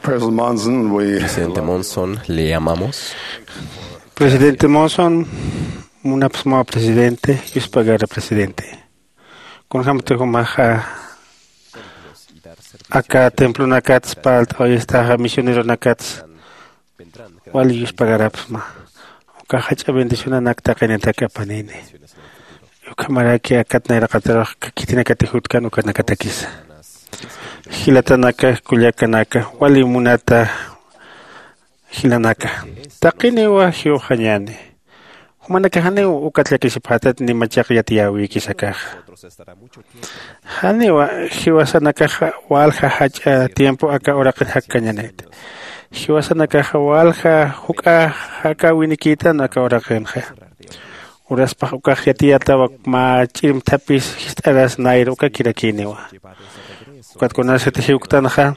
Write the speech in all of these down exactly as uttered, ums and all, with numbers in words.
President Monson, we Presidente Monson, le amamos. Presidente Monson, munapsmawa presidente, yuspagara presidente. Kunjamti jumaxa aka templonakats palt'awayistaxa misioneronakats wali yuspagarapsma. Uka jach'a bendicionanak taqinitak apanini. Ukhamaraki akat nayraqatarux khitinakati jutkan ukanakatakisa. Jilatanaka, kullakanaka, wali munata jilanaka, taqiniwa jiwxañäni. Jumanakax janiw ukat llakisipxätat ni machaq yatiyäwïkis akaxa. Janiwa jiwasanakaxa walja jach'a tiempo aka uraqin jakkañanit. Jiwasanakaxa walja juk'a jakäwinikïtan aka uraqinxa. Uraspax ukax yatiyätawa mä ch'irmthapis jist'aras nayra ukakirakïniwa. Ukat kunasat jiwktanxa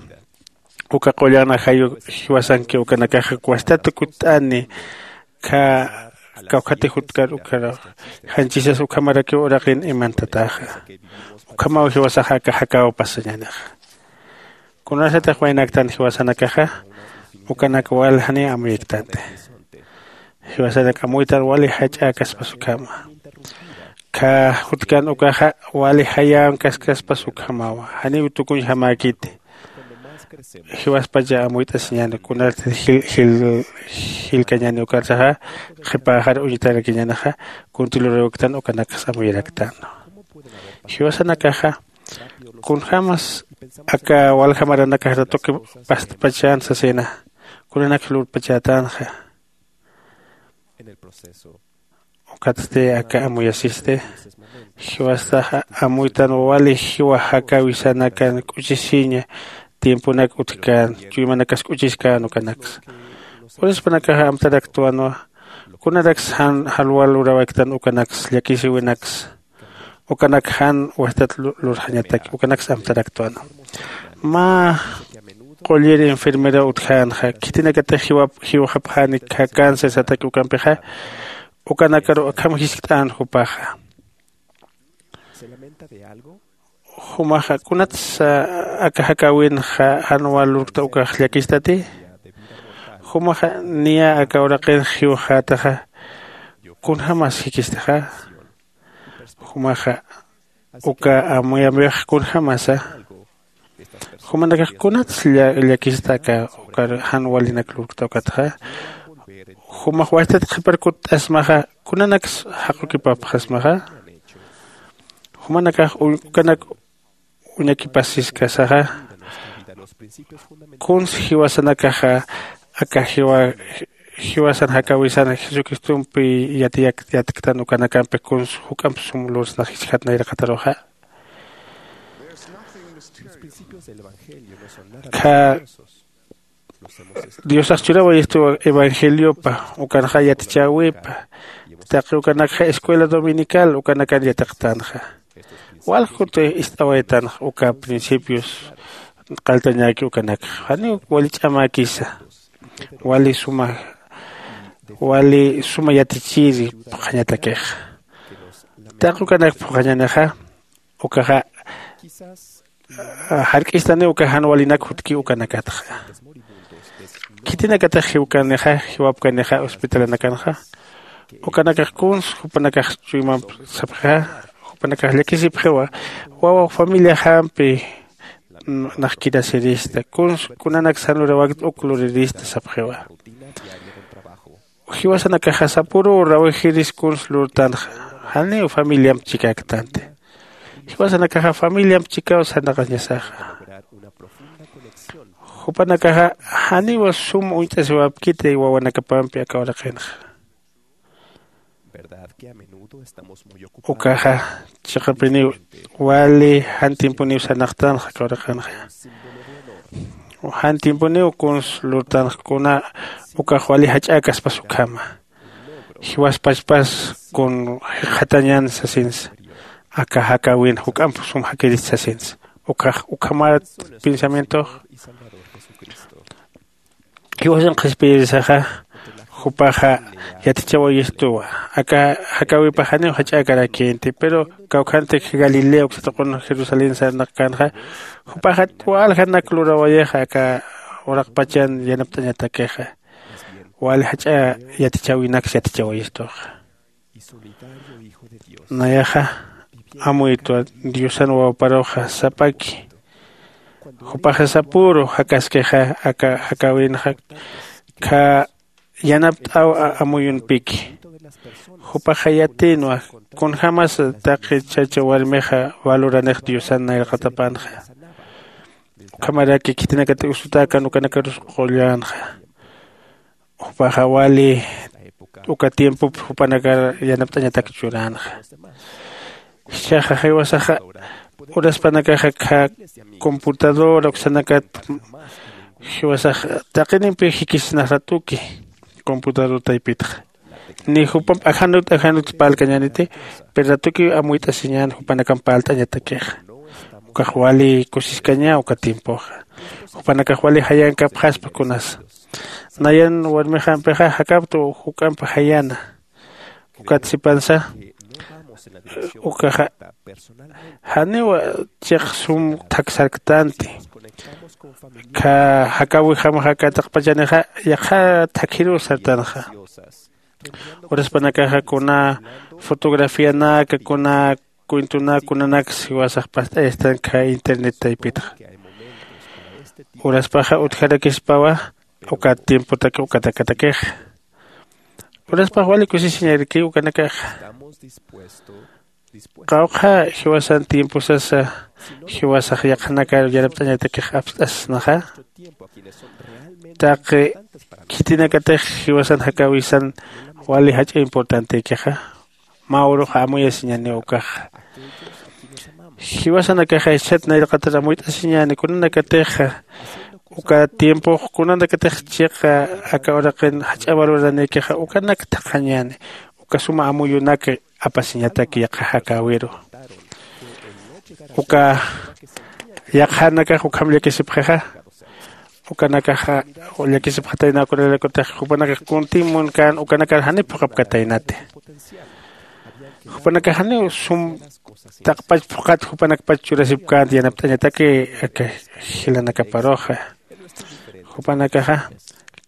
uka qullan ajayu jiwasanki ukanakaxa wastat kutt'ani. Kha kawkhati jutkar ukharaw janchisas ukhamarakiw uraqin imantataxa. Ukhamaw jiwasaxa aka jakäw pasañänixa. Kunasatix waynaktan jiwasanakaxa ukanak wal janiw amuyiktanti. Jiwasanak amuytan wali jach'äkaspas ukhama. Kha jutkan ukaxa wali jayänkaspas ukhamawa janiw tukuñjamäkiti. Jiwaspacha amuyt'asiñäni kunarti jil jil jilkañäni ukarsaxa qhipäxar uñtarakiñänixa. Kunti lurïwktan ukanaksa amuyaraktänwa. Jiwasanakaxa kunjämas aka walja maranakax ratuki pastpachän sasina. Kunanaksa lurpachätänxa. Ukatsti aka amuyasisti jiwastaxa amuytan wali jiwa jakäwisanakan k'uchisiña tiemponak utjkän chuymanakas k'uchiskän ukanaksa. Urispanakaxa amtaraktwanwa kunaraks jan jalwal lurawaktan ukanaksa llakisiwinaksa. Ukanak jan wastat lurxañataki ukanaksa amtaraktwanwa. Mä qullir enfermera utjänxa khitinakatix jiwxapxäni cáncer sataki ukampixa. Ukanakaru akham jiskt'än jupaxa. Jumaxa kunatsa aka jakäwinxa jan wal lurkta ukax llakistati? Jumaxa niya aka uraqin jiwxätaxa kunjämas jikistaxa? Jumaxa uka amuyamuyux kunjämasa? Jumanakax kunats llakista aka ukar jan walinak lurkta ukatxa? Jumax wastat qhipar kutt'asmaxa kunanaks jaqukipapxasmaxa? Jumanakax ukanak uñakipasiskasaxa kuns jiwasanakaxa aka jiwasan jakäwisan jesucristompi yatiyaktktan ukanakampi kuns juk'amp sum lursnax jiskhat nayraqataruxa. Kha diosax churawayistu evangeliopa ukanxa yatichäwipa. Taqi ukanakxa escuela dominical ukanakan yatiqtanxa. Walja kuti ist'awaytanxa uka principios qalltañäki ukanakxa janiw wali ch'amäkisa. Wali suma wali suma yatichiri phuqhañatakixa. Taqi ukanak phuqhañänixa ukaxa jark'istaniw uka jan walinak jutkiw ukanakatxa. Khitinakatix jiwkanixa jiwapkanixa hospitalanakanxa ukanakax kuns jupanakax chuymamp sapxixa. Jupanakax llakisipxiwa wawa familiajampi naxkirasirista kuns kunanak san lurawakt uk lurirista sapxiwa. Jiwasanakaxa sapüruw rawixiris kuns lurtanxa janiw familiamp chikäktanti. Jiwasanakaxa familiamp chikaw sarnaqañasaxa. Jupanakaxa janiw sum uñt'asiwapkiti wawanakapampi aka uraqinxa. Ukaxa chiqapiniw wali jan tiemponiw sarnaqtanxa aka uraqinxa. Jan tiemponiw kuns lurtanxa kuna ukax wali jach'äkaspas ukhama. Jiwaspachpas kun jikxatañän sasinsa aka jakäwin juk'amp sum jakirist sasinsa. Ukax ukhamat pensamientox. Jiwasan qhispiyirisaxa jupaxa yatichawayistuwa aka jakäwipax janiw jach'äkarakïnti pero kawkhantik galilea uksatuqun jerusalén sarnaqkänxa. Jupaxat waljanak lurawayixa aka uraqpachan yanapt'añatakixa. Wali jach'a yatichäwinaks yatichawayistuxa. Nayaxa amuytwa diosan wawaparuxa sapaki. Jupaxa sapüru jakaskixa aka jakäwinxa kha yanapt'aw amuyunpiki. Jupaxa yatïnwa kunjämas taqi chacha warmixa valoranix diosan nayraqatapanxa. Ukhamaraki khitinakatix usutäkan ukanakarus qullänxa. Jupaxa wali uka tiempop jupanakar yanapt'añatak churänxa. Jichhaxa jiwasaxa uraspanakaxa kha computadora uksanakat jiwasax taqinimpi jikisinax ratuki computador taypitxa. Ni jupamp ajanut ajanut parlkañäniti. Pero ratukiw amuyt'asiñän jupanakamp parlt'añatakixa. Ukax wali kusiskaña uka tiempoxa. Jupanakax wali jayankapxaspa kunasa. Nayan warmixampixa jakaptu juk'amp jayana. Ukat sipansa ukaxa janiw chiq sum thaksarktanti. Kha jakäwijamaxa aka taqpachanixa yaqha thakhiruw sartanxa. Uraspanakaxa kuna fotografianaka kuna cuentonaka kunanaks jiwasax past'ayastan kha internet taypitxa. Uraspaxa utjarakispawa uka tiempotaki ukatakatakixa. Uraspax wali kusisiñarakiw ukanakaxa. Qawqha jiwasan tiemposasa jiwasax yaqhanakar yanapt'añatakix apst'asnaxa. Taqi khitinakatix jiwasan jakäwisan wali jach'a importantekixa. Mä urux amuyasiñäniw ukaxa. Jiwasanakaxa jichhat nayraqatar amuyt'asiñäni kunanakatixa uka tiempox kunanakatix chiqa aka uraqin jach'a valoranïkixa ukanak thaqhañäni. Uka suma amuyunak apasiñatak yaqha jakäwiru. Uka yaqhanakax ukham llakisipxixa. Ukanakaxa llakisipxataynaw kunalaykutix jupanakax kuntim munkän ukanakar janiw phuqhapkataynati. Jupanakax janiw sum taqpach phuqhat jupanakpach churasipkänti yanapt'añataki aka jilanakaparuxa. Jupanakaxa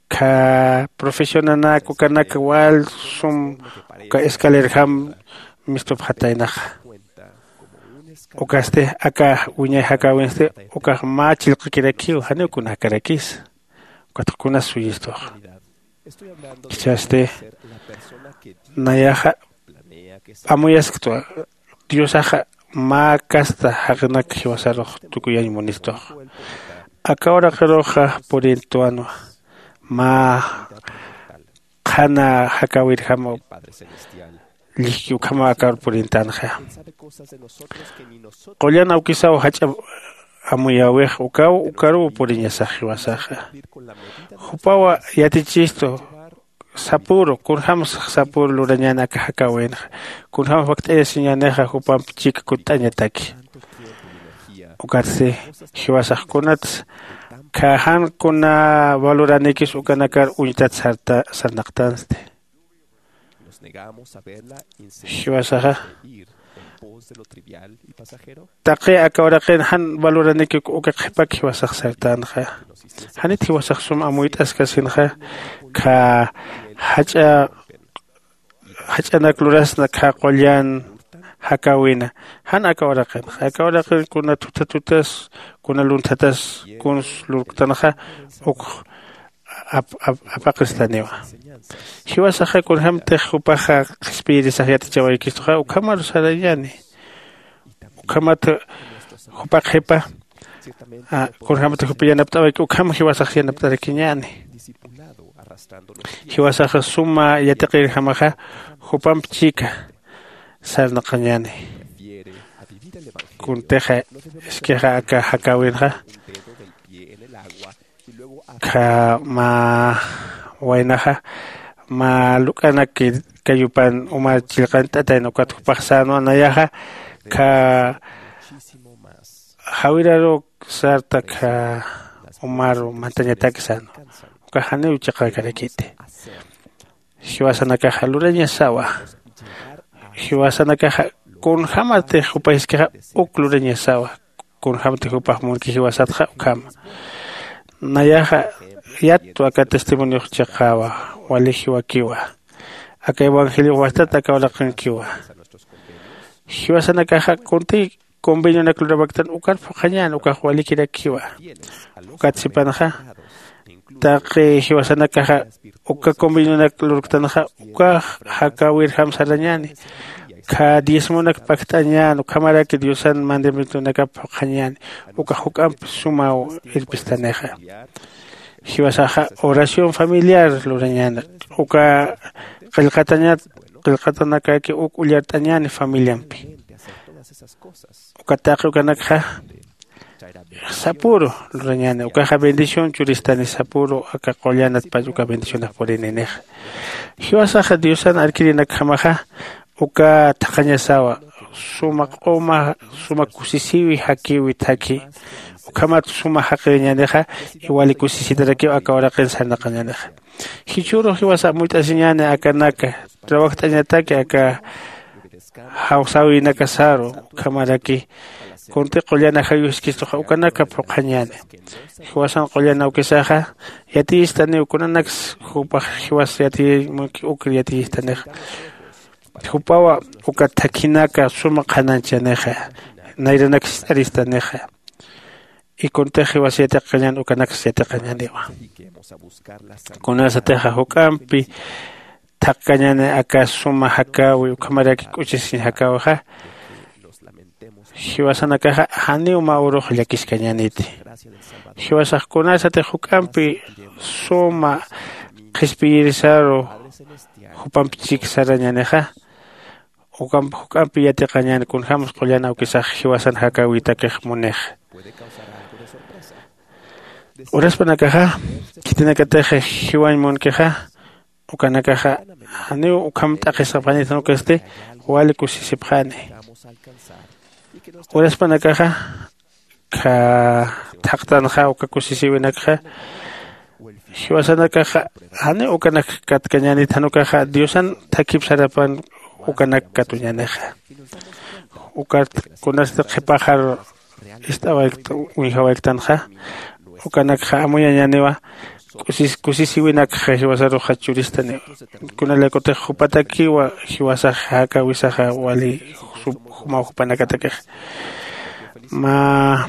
kha profesionanak ukanak wal sum uka escalerjam mistupxataynaxa. Ukasti aka wiñay jakäwinsti ukax mä chillqakirakiw janiw kuna jakarakisa. Ukatx kunas suyistux. Jichhasti nayaxa amuyasktwa diosaxa mä kasta jaqnak jiwasarux tukuyañ munistux. Aka uraqiruxa purintwanwa mä qhana jakäwirjama llijki ukhama akar purintänxa. Qullan awkisaw jach'a amuyäwix ukaw ukaruw puriñasax jiwasaxa. Jupawa yatichistu sapüru kunjämsa sapüru lurañäni aka jakäwinxa. Kunjäm fakt'ayasiñänixa jupamp chika kutt'añataki. Ukatsti jiwasax kunatsa kha jan kuna valoranïkis ukanakar uñtat sarta sarnaqtansti. Jiwasaxa taqi aka uraqin jan valoranïki uka qhipak jiwasax sartänxa. Janit jiwasax sum amuyt'askasinxa kha jach'a jach'anak lurasna kha qullan jakäwina. Jan aka uraqinxa aka uraqin kuna thuthatutas kuna lunthatas kuns lurktanxa uk apaqistaniwa. Jiwasaxa kunjämtix jupaxa qhispiyirisax yatichawaykistuxa ukhamarus sarañäni. Ukhamat jupa qhipa kunjämtix jupa yanapt'awayki ukham jiwasax yanapt'arakiñäni. Jiwasaxa suma yatiqirjamaxa jupamp chika sarnaqañäni. Kuntixa iskixa aka jakäwinxa kha mä waynaxa mä luk'anak kayupan uma chillqant'atayna ukat jupax sänwa nayaxa kha jawiraruk sarta kha umaru mantañatak sänwa. Ukax janiw chiqakarakiti. Jiwasanakaxa lurañasawa. Jiwasanakaxa kunjämatix jupayiskixa uk lurañasawa. Kunjämtix jupax munki jiwasatxa ukhama. Nayaxa yattu aka testimoniox chiqawa, wali jiwakiwa. Aka evangeliox wastat aka uraqinkiwa. Jiwasanakaxa kunti convenionak lurawaktan ukar phuqhañän ukax walikirakiwa. Ukat sipanxa taqi jiwasanakaxa uka convenionak lurktanxa ukax jakäwirjam sarañäni. Kha diezmonak pakt'añän ukhamaraki diosan mandamientonakap phuqhañäni. Ukax juk'amp sumaw irpistanixa. Jiwasaxa oración familiar lurañäni. Uka qillqatañat qillqatanakaki uk ullart'añäni familiampi. Uka taqi ukanakxa sapüru lurañäni ukaxa bendición churistani sapüru aka qullanatpach uka bendicionax purininixa. Jiwasaxa diosan arkirinakjamaxa uka thaqhañasawa suma q'uma suma kusisiwi jakiwi thakhi. Ukhamat suma jaqiriñänixa y wali kusisitarakiw aka uraqin sarnaqañänixa. Jichhürux jiwasa amuyt'asiñäni akanaka trabajt'añataki aka jawsäwinakasaru ukhamaraki kunti qullan ajayuskistuxa ukanaka phuqhañäni. Jiwasan qullan awkisaxa yatiyistaniw kunanaksa jupax jiwas yatiyañ munki ukir yatiyistanixa. Jupawa uka thakhinaka suma qhanañchanixa nayranak jist'aristanixa. Y kuntix jiwas yatiqañän ukanaksa yatiqañäniwa. Kunasatixa juk'ampi thaqkañäni aka suma jakäwi ukhamaraki k'uchisiñ jakäwixa jiwasanakaxa janiw mä urux llakiskañäniti. Jiwasax kunasatix juk'ampi suma qhispiyirisaru jupamp chik sarañänixa ukamp juk'ampi yatiqañäni kunjämsa qullan awkisax jiwasan jakäwitakix munixa. Uraspanakaxa khitinakatix jiwañ munkixa ukanakaxa janiw ukham t'aqhisipxanit jan ukasti wali kusisipxani. Uraspanakaxa kha thaqtanxa uka kusisiwinakxa jiwasanakaxa janiw ukanak katkañänit jan ukaxa diosan thakhip sarapan ukanak katuñänixa. Ukat kunasti qhipaxar ist'awaykt uñjawayktanxa ukanakxa amuyañäniwa. Kusisiwinakxa jiwasaruxa churistaniwa. Kunalaykutix jupatakiwa jiwasax jakäwisaxa wali jumaw jupanakatakix mä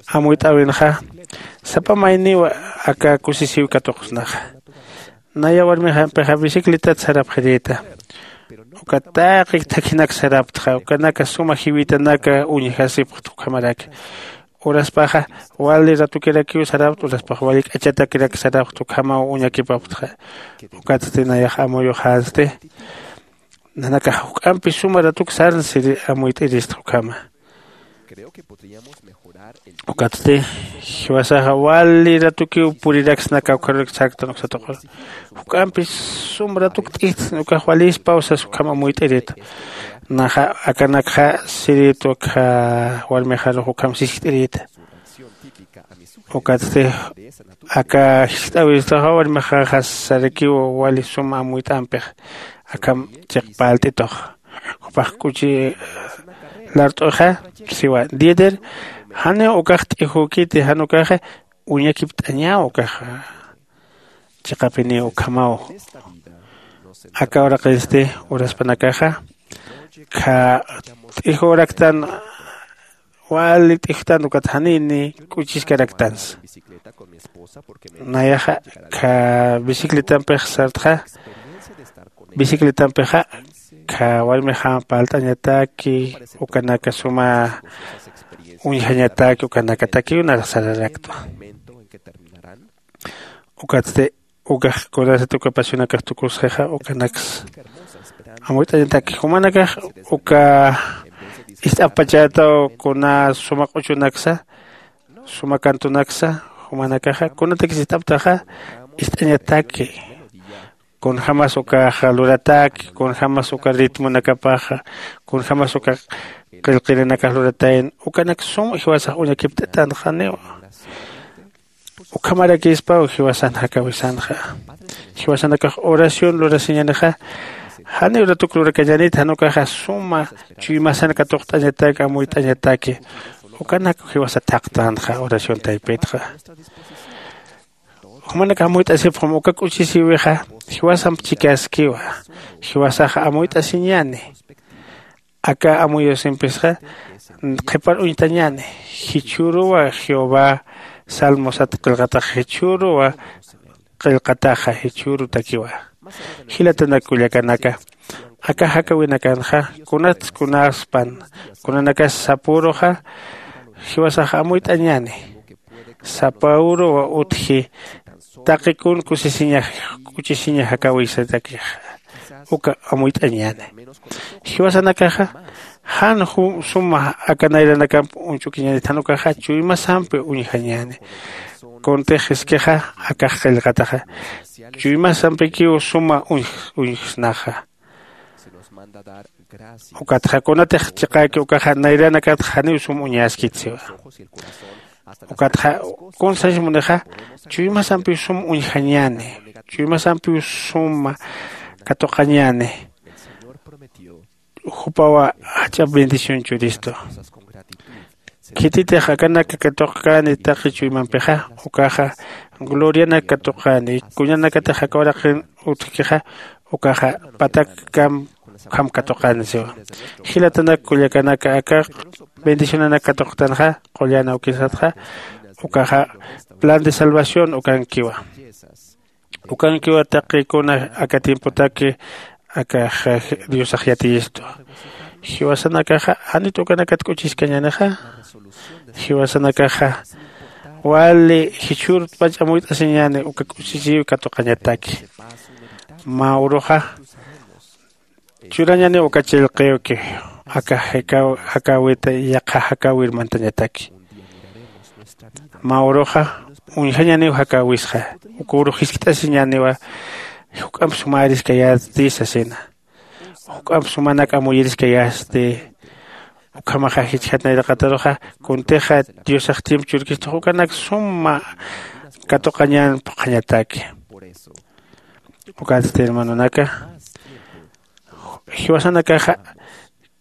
amuyt'äwinxa sapa mayniwa aka kusisiw katuqsnaxa. Naya warmixampixa bicicletat sarapxirïta. Uka taqi thakhinak saraptxa ukanaka suma jiwitanaka uñjasipxt ukhamaraki. Uraspaxa wali ratukirakiw sarapta uraspaxa wali k'achatakirak sarapta ukhamaw uñakipaptxa. Ukatsti nayax amuyuxänsti nanakax juk'ampi suma ratuk sarnsiri amuyt'irista ukhama. Ukatsti jiwasaxa wali ratukiw puriraksnaka ukharurak sarktan uksatuqur juk'ampi sum ratuk t'ijtsn ukax walispaw sas ukham amuyt'irita. Naxa akanakxa sirït ukha warmixarux ukham siskt'irïta. Ukatsti aka jiskt'äwistaxa warmixaxa sarakiw wali suma amuyt'ampix akham chiqpalt'itux jupax k'uchi lart'uxa siwa dieter janiw ukax t'ijükiti jan ukaxa uñakipt'añaw ukaxa. Chiqapiniw ukhamaw aka uraqinsti uraspanakaxa kha t'ijüraktan wali t'ijtan ukat janini k'uchiskaraktansa. Nayaxa kha bicicletampix sartxa bicicletampixa kha warmixam palt'añataki ukanaka suma uñjañataki ukanakatakiw narax sararaktwa. Ukatsti ukax kunasat uka pasionakax tukusxixa ukanaksa amuyt'añataki jumanakax uka ist'apachätaw kuna suma q'uchunaksa suma kantunaksa jumanakaxa kunatakis ist'aptaxa ist'añataki kunjämas ukaxa lurataki kunjämas uka ritmunakapaxa kunjämas uka qillqirinakax luratayan ukanak sum jiwasax uñakipt'atanxaniwa. Ukhamarakispaw jiwasan jakäwisanxa jiwasanakax oración lurasiñänixa janiw ratuk lurakañänit jan ukaxa suma chuymasan katuqt'añataki amuyt'añataki. Ukanak jiwasa thaqtänxa oración taypitxa. Jumanakax amuyt'asipxam uka k'uchisïwixa jiwasamp chikaskiwa. Jiwasaxa amuyt'asiñäni. Aka amuyusimpisxa qhipar uñtañäni. Jichhüruwa jehová salmosat qillqataxa jichhüruwa qillqataxa jichhürutakiwa. Jilatanak kullakanaka, aka jakäwinakanxa kunats kunaspan kunanakas sapüruxa jiwasax amuyt'añäni. Sapüruw utji taqi kun kusisiñax k'uchisiña jakäwisatakix uka amuyt'añäni. Jiwasanakaxa jan suma aka nayranakamp uñch'ukiñänit jan ukaxa chuymasampi uñjañäni. Kuntix jiskixa akax qillqataxa chuymasampikiw suma uñjsnaxa. Ukatxa kunatix chiqäki ukaxa nayranakatxa janiw sum uñaskit siwa. Ukatxa kun sasimunixa chuymasampiw sum uñjañäni. Chuymasampiw suma katuqañäni. Jupawa jach'a bendición churistu. Khititix akanak katuqkäni taqi chuymampixa ukaxa glorianak katuqäni. Kuñanakatix aka uraqin utjkixa ukaxa patakkamp ukham katuqäni siwa. Jilatanak kullakanaka aka bendicionanak katuqtanxa qullan awkisatxa ukaxa plan de salvación ukankiwa. Ukankiwa taqi kuna aka tiempotaki aka diosax yatiyistu. Jiwasanakaxa janit ukanakat k'uchiskañänixa. Jiwasanakaxa wali jichhürut pach amuyt'asiñäni uka k'uchisiw katuqañataki. Mä uruxa churañäniw uka chillqiwki aka jakäwita yaqha jakäwir mantañataki. Mä uruxa uñjañäniw jakäwisxa. Uka urux jiskt'asiñäniwa juk'amp sumäriskayäti sasina. Juk'amp sumanak amuyiriskayästi. Ukhamaxa jichhat nayraqataruxa kuntixa diosax tiempo churkistux ukanak suma katuqañän phuqhañataki. Ukatsti hermanonaka jiwasanakaxa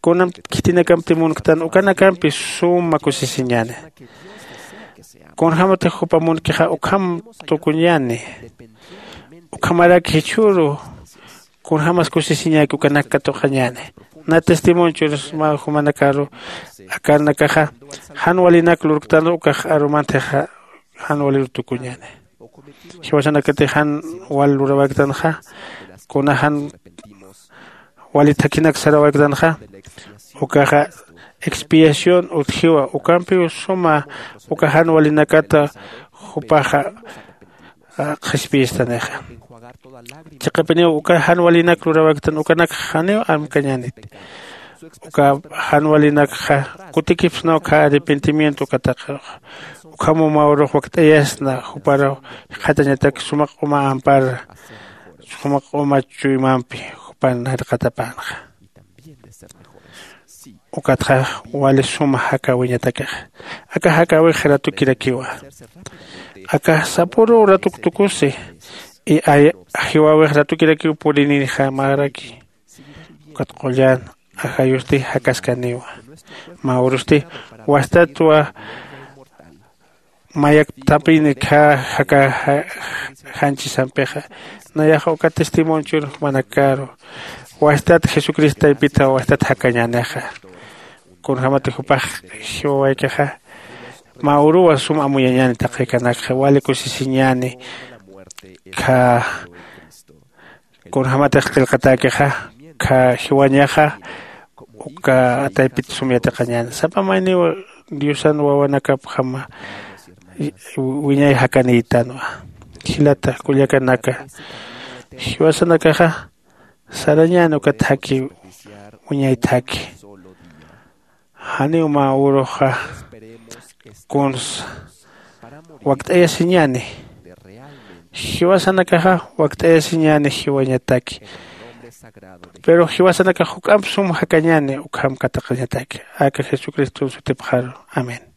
kunamp khitinakampi munktan ukanakampi suma kusisiñäni. Kunjämatix jupa munkixa ukham tukuñäni. Ukhamarak jichhüru kunjämas kusisiñäki ukanak katuqañäni. Nä testimonio churasma jumanakaru akanakaxa jan walinak lurktan ukax arumantixa jan waliru tukuñäni. Jiwasanakatix jan wal lurawaktanxa kuna jan wali thakhinak sarawaktanxa ukaxa expiación utjiwa ukampiw suma uka jan walinakata jupaxa qhispiyistanixa. Chiqapiniw uka jan walinak lurawaktan ukanak janiw amkañänit. Uka jan walinakxa kutikipsna uka arrepentimiento ukataqiruxa. Ukhamaw mä urux wakt'ayasna juparaw jikxatañatak suma q'uma ampar suma q'uma chuymampi jupan jarqatapänxa. Ukatxa wali suma jakäwiñatakixa. Aka jakäwix ratukirakiwa. Aka sapüruw ratuk tukusi. Jiwäwix ratukirakiw purinïxamaraki. Ukat qullan ajayusti jakaskaniwa. Mä urusti wastatwa mayak thapini kha jaka janchisampixa. Nayaxa uka testimonchun jumanakaru wastat jesucristo taypita wastat jakañänixa. Kunjämati jupax jiwawaykixa mä uruwa sum amuyañäni taqi kanakxa wali kusisiñäni. Kha kunjämatix qillqatäkixa kha jiwañaxa uka taypit sum yatiqañäni sapa mayniw diosan wawanakapjama wiñay jakanïtanwa. Jilata kullakanaka jiwasanakaxa sarañäni ukat jaki wiñay thaki. Janiw mä uruxa kunsa wakt'ayasiñäni. Jiwasanakaxa wakt'ayasiñäni jiwañataki. Pero jiwasanakax juk'amp sum jakañäni ukham katuqañataki aka jesucriston sutipxaru. Amén.